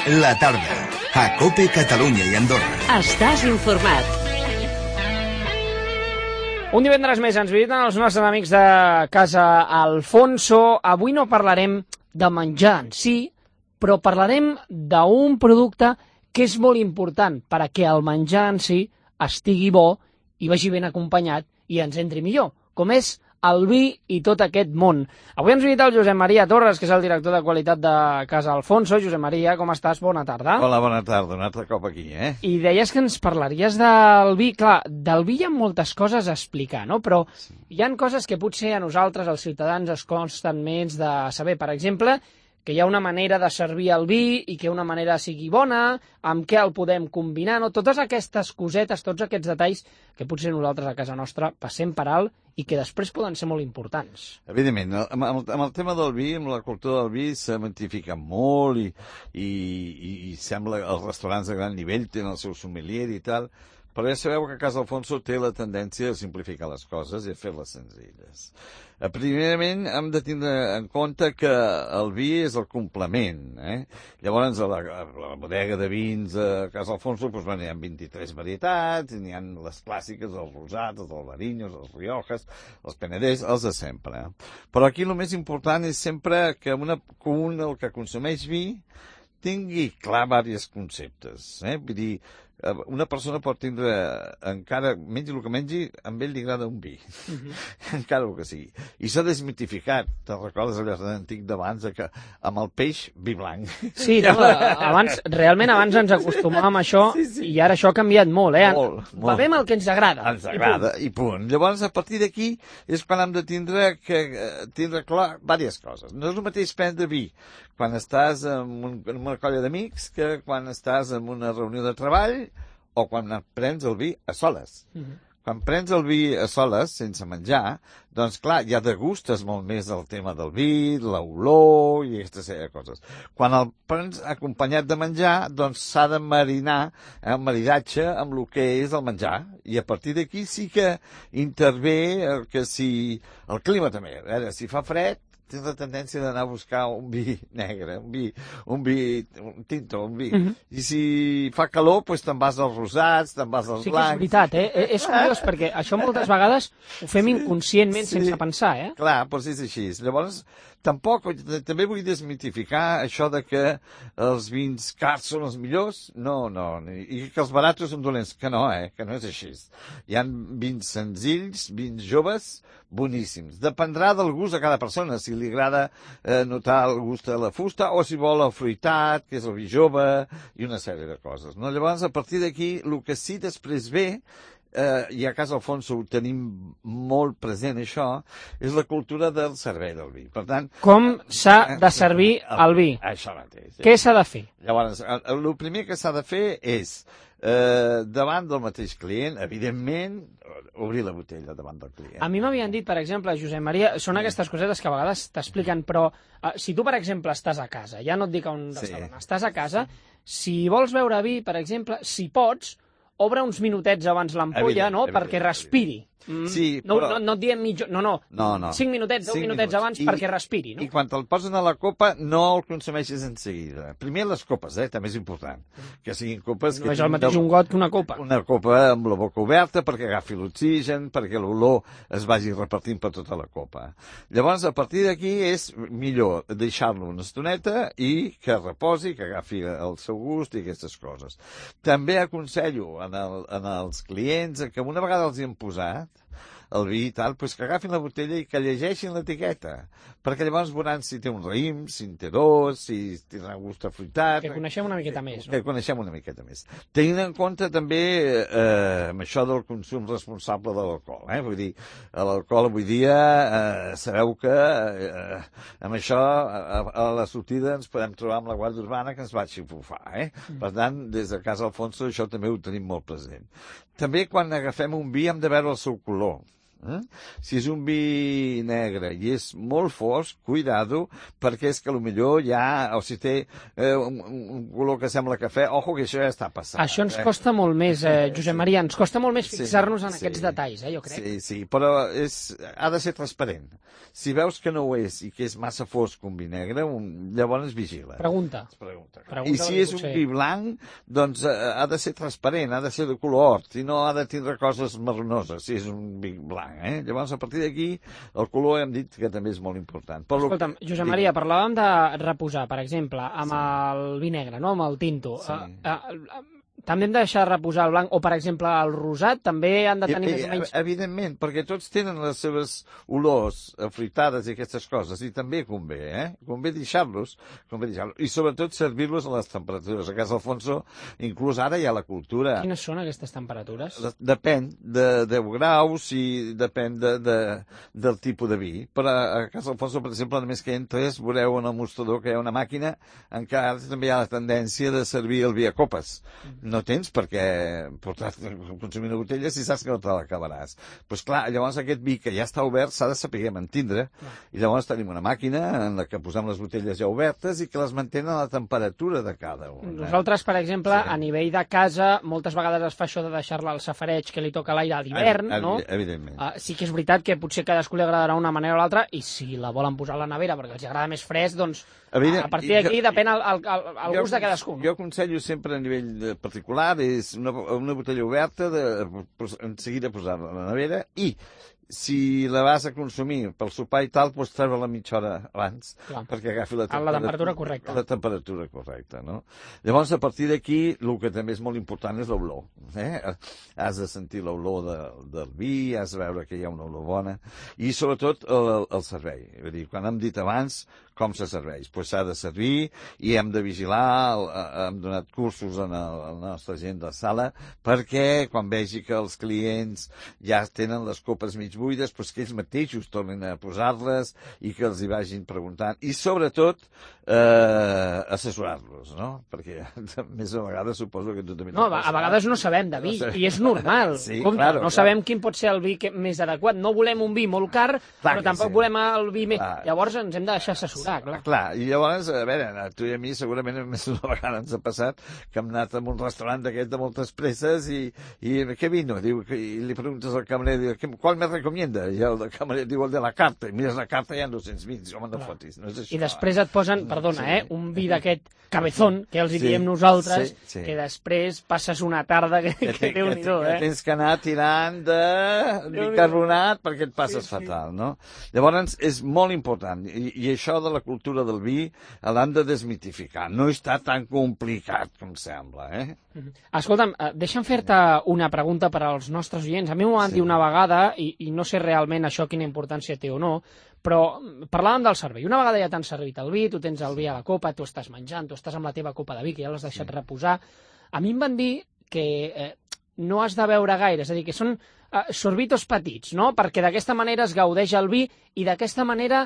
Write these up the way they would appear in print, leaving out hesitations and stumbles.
La tarda, a COPE Catalunya i Andorra. Estàs informat. Un divendres més ens visiten els nostres amics de Casa Alfonso. Avui no parlarem de menjar en si, però parlarem d'un producte que és molt important perquè el menjar en si estigui bo i vagi ben acompanyat i ens entri millor, com és el vi i tot aquest món. Avui ens visita el Josep Maria Torres, que és el director de qualitat de Casa Alfonso. Josep Maria, com estàs? Bona tarda. Hola, bona tarda. Un altre cop aquí, I deies que ens parlaries del vi. Clar, del vi hi ha moltes coses a explicar, no? Però hi han coses que potser a nosaltres, els ciutadans, es costen menys de saber. Per exemple, que hi ha una manera de servir el vi i que una manera sigui bona, amb què el podem combinar, no? Totes aquestes cosetes, tots aquests detalls que potser nosaltres a casa nostra passem per alt i que després poden ser molt importants. Evidentment, amb el tema del vi, amb la cultura del vi, s'ha magnificat molt i sembla que els restaurants de gran nivell tenen el seu sommelier i tal, però ja sabeu que Casa Alfonso té la tendència a simplificar les coses i a fer-les senzilles. Primerament, hem de tindre en compte que el vi és el complement. Llavors, a la bodega de vins a Casa Alfonso hi ha 23 varietats, n'hi ha les clàssiques, els rosats, els albarinyos, els riojas, els penedès, els de sempre. Però aquí el més important és sempre que el que consumeix vi tingui clar diversos conceptes. Vull dir, una persona pot tindre, encara mengi el que mengi, a ell li agrada un vi, encara el que sigui. I s'ha desmitificat, te'n recordes allò antic d'abans, que amb el peix, vi blanc. Sí, no, realment abans ens acostumàvem a això, i ara això ha canviat molt, Molt. Bevem el que ens agrada. Ens agrada, i punt. Llavors, a partir d'aquí, és quan hem de tindre clar diverses coses. No és el mateix prendre vi quan estàs en una colla d'amics que quan estàs en una reunió de treball o quan prens el vi a soles. Quan prens el vi a soles, sense menjar, doncs clar, ja degustes molt més el tema del vi, l'olor i aquesta sèrie de coses. Quan el prens acompanyat de menjar, doncs s'ha de marinar, un maridatge amb el que és el menjar. I a partir d'aquí sí que intervé el clima també. A veure, si fa fred, tens la tendència d'anar a buscar un vi negre, un tinto, un vi. I si fa calor, doncs te'n vas als rosats, te'n vas als blancs. Sí que és veritat, És curiós, perquè això moltes vegades ho fem inconscientment, sense pensar, Clar, doncs és així. Llavors, també vull desmitificar això de que els vins cars són els millors. No, i que els baratos són dolents. Que no és així. Hi ha vins senzills, vins joves, boníssims. Dependrà del gust de cada persona, si li agrada notar el gust de la fusta o si vol el fruitat, que és el vi jove, i una sèrie de coses. No? Llavors, a partir d'aquí, el que sí després ve, i a Casa Alfonso ho tenim molt present això, és la cultura del servei del vi. Per tant, com s'ha de servir el vi? Això mateix. Què s'ha de fer? Llavors, el primer que s'ha de fer és, davant del mateix client, evidentment, obrir la botella davant del client. A mi m'havien dit, per exemple, Josep Maria, són aquestes cosetes que a vegades t'expliquen, però si tu, per exemple, estàs a casa, ja no et dic a un restaurant, estàs a casa, si vols beure vi, per exemple, si pots, obre uns minutets abans l'ampolla, no?, perquè respiri. Sí, però... No et diem mitja... No. 5 minutets, 10 minutets abans perquè respiri, no? I quan te'l posen a la copa, no el consumeixis en seguida. Primer les copes, també és important. Que siguin copes... No és el mateix un got que una copa. Una copa amb la boca oberta perquè agafi l'oxigen, perquè l'olor es vagi repartint per tota la copa. Llavors, a partir d'aquí és millor deixar-lo una estoneta i que reposi, que agafi el seu gust i aquestes coses. També aconsello en els clients que una vegada els hi han posat el vi i tal, doncs que agafin la botella i que llegeixin l'etiqueta, perquè llavors veuran si té un raïm, si en té dos, si tindrà gust afruitat... Que coneixem una miqueta més, no? Que coneixem una miqueta més. Tenint en compte també amb això del consum responsable de l'alcohol, Vull dir, l'alcohol avui dia sabeu que amb això a la sortida ens podem trobar amb la Guàrdia Urbana que ens va xifufar, Per tant, des de Casa Alfonso això també ho tenim molt present. També quan agafem un vi hem de veure el seu color. Si és un vi negre i és molt fosc, cuidado, perquè és que potser ja, o si té un color que sembla cafè, ojo que això ja està passant. Això ens costa molt més, Josep Maria, ens costa molt més fixar-nos en aquests detalls, jo crec. Sí, però ha de ser transparent. Si veus que no ho és i que és massa fosc un vi negre, llavors vigila. Pregunta. molta clara. Pregunta I si és un vi blanc, doncs ha de ser transparent, ha de ser de color or, si no ha de tindre coses marronoses, si és un vi blanc. Llavors, a partir d'aquí, el color hem dit que també és molt important. Escolta'm, Josep Maria, parlàvem de reposar, per exemple, amb el vi negre, no? Amb el tinto. Sí. També hem de deixar reposar el blanc, o per exemple el rosat, també han de tenir més o menys... Evidentment, perquè tots tenen les seves olors afruitades i aquestes coses, i també convé, convé deixar-los, i sobretot servir-los a les temperatures. A Casa Alfonso, inclús ara hi ha la cultura. Quines són aquestes temperatures? Depèn de 10 graus i depèn del tipus de vi. Però a Casa Alfonso, per exemple, només que entres, veureu en el mostrador que hi ha una màquina en què ara també hi ha la tendència de servir el vi a copes. No tens perquè portar consumir una botella si saps que no te l'acabaràs. Doncs clar, llavors aquest vi que ja està obert s'ha de saber mantindre, i llavors tenim una màquina en la que posem les botelles ja obertes i que les mantenen a la temperatura de cada una. Nosaltres, per exemple, a nivell de casa, moltes vegades es fa això de deixar-la al safareig que li toca l'aire a l'hivern, no? Evidentment. Sí que és veritat que potser cadascú li agradarà una manera o l'altra, i si la volen posar a la nevera perquè els agrada més fresc, doncs a partir d'aquí depèn el gust de cadascú. Jo aconsello sempre a nivell particular és una botella oberta en seguida posar-la a la nevera, i si la vas a consumir pel sopar i tal, pots treure-la mitja hora abans, perquè agafi la temperatura correcta. La temperatura correcta, no? Llavors, a partir d'aquí, el que també és molt important és l'olor. Has de sentir l'olor del vi, has de veure que hi ha una olor bona, i sobretot el servei. Vull dir, quan hem dit abans com se serveix, doncs s'ha de servir i hem de vigilar, hem donat cursos a la nostra gent de sala perquè quan vegi que els clients ja tenen les copes mig buides, doncs que ells mateixos tornin a posar-les i que els hi vagin preguntant. I sobretot assessorar-los, no? Perquè més a vegades suposo que tu també... No, a vegades no sabem de vi, i és normal. Sí, claro, no sabem quin pot ser el vi més adequat. No volem un vi molt car, però tampoc volem el vi més... Llavors ens hem de deixar assessorar. Clar, i llavors, a veure, a tu i a mi segurament més d'una vegada ens ha passat que hem anat a un restaurant d'aquest de moltes presses i què vino? Diu, i li preguntes al camarer, diu, ¿cuál me recomienda? I el camarer diu, el de la carta, i mires la carta i hi ha 200 vins, home, no fotis, no és això. I després et posen, perdona, un vi d'aquest cabezón, que els hi diem nosaltres, que després passes una tarda que Déu-n'hi-do, que tens que anar tirant de bicarbonat perquè et passes fatal, no? Llavors, és molt important, i això de la cultura del vi l'han de desmitificar. No està tan complicat com sembla, Escolta'm, deixa'm fer-te una pregunta per als nostres oients. A mi m'ho van dir una vegada, i no sé realment això quina importància té o no, però parlàvem del servei. Una vegada ja t'han servit el vi, tu tens el vi a la copa, tu estàs menjant, tu estàs amb la teva copa de vi, que ja l'has deixat reposar. A mi em van dir que no has de beure gaire, és a dir, que són sorbitos petits, no? Perquè d'aquesta manera es gaudeix el vi i d'aquesta manera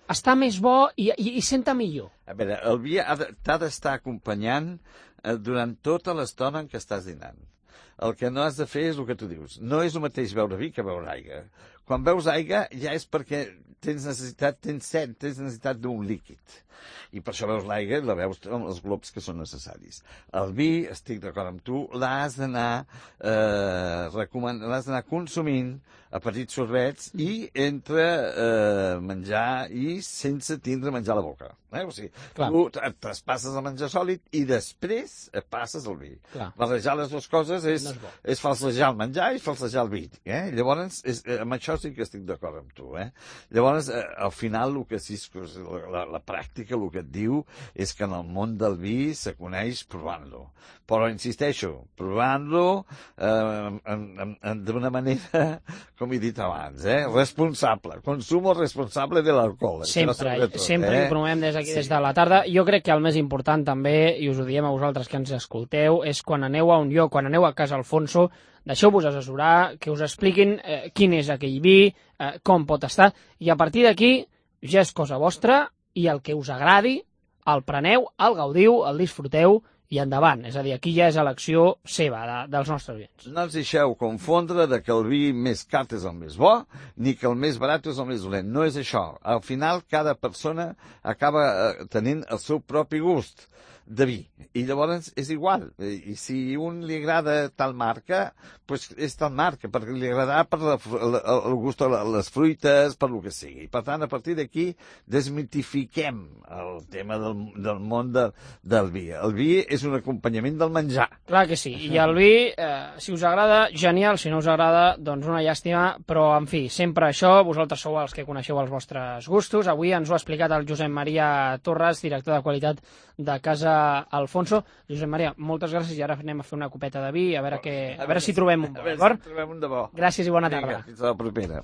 està més bo i senta millor. A veure, el vi t'ha d'estar acompanyant durant tota l'estona en què estàs dinant. El que no has de fer és el que tu dius. No és el mateix beure vi que beure aigua. Quan beus aigua ja és perquè tens set, tens necessitat d'un líquid. I per això veus l'aigua i la veus amb els globs que són necessaris. El vi, estic d'acord amb tu, l'has d'anar consumint a petits sorbets i entre menjar i sense tindre menjar a la boca. O sigui, tu et traspasses el menjar sòlid i després et passes el vi. Barrejar les dues coses és falsejar el menjar i falsejar el vi. Llavors, amb això sí que estic d'acord amb tu. Llavors, al final, el que sí, la pràctica el que et diu és que en el món del vi se coneix provant-lo. Però, insisteixo, provant-lo d'una manera, com he dit abans, responsable. Consumo responsable de l'alcohol. Sempre ho promovem des d'aquí, des de la tarda. Jo crec que el més important també, i us ho diem a vosaltres que ens escolteu, és quan aneu a un lloc, quan aneu a Casa Alfonso, deixeu-vos assessorar, que us expliquin quin és aquell vi, com pot estar, i a partir d'aquí ja és cosa vostra, i el que us agradi, el preneu, el gaudiu, el disfruteu, i endavant. És a dir, aquí ja és elecció seva, dels nostres oients. No els deixeu confondre de que el vi més car és el més bo, ni que el més barat és el més dolent. No és això. Al final, cada persona acaba tenint el seu propi gust. de vi. I llavors és igual. I si un li agrada tal marca, doncs és tal marca, perquè li agradarà per el gust de les fruites, per lo que sigui. Per tant, a partir d'aquí, desmitifiquem el tema del món del vi. El vi és un acompanyament del menjar. Clar que sí. I el vi, si us agrada, genial. Si no us agrada, doncs una llàstima. Però, en fi, sempre això, vosaltres sou els que coneixeu els vostres gustos. Avui ens ho ha explicat el Josep Maria Torres, director de qualitat de Casa Alfonso. Josep Maria, moltes gràcies i ara anem a fer una copeta de vi, a veure si trobem un bo, d'acord? Si trobem un de bo. Gràcies i bona tarda. Vinga, fins a la propera.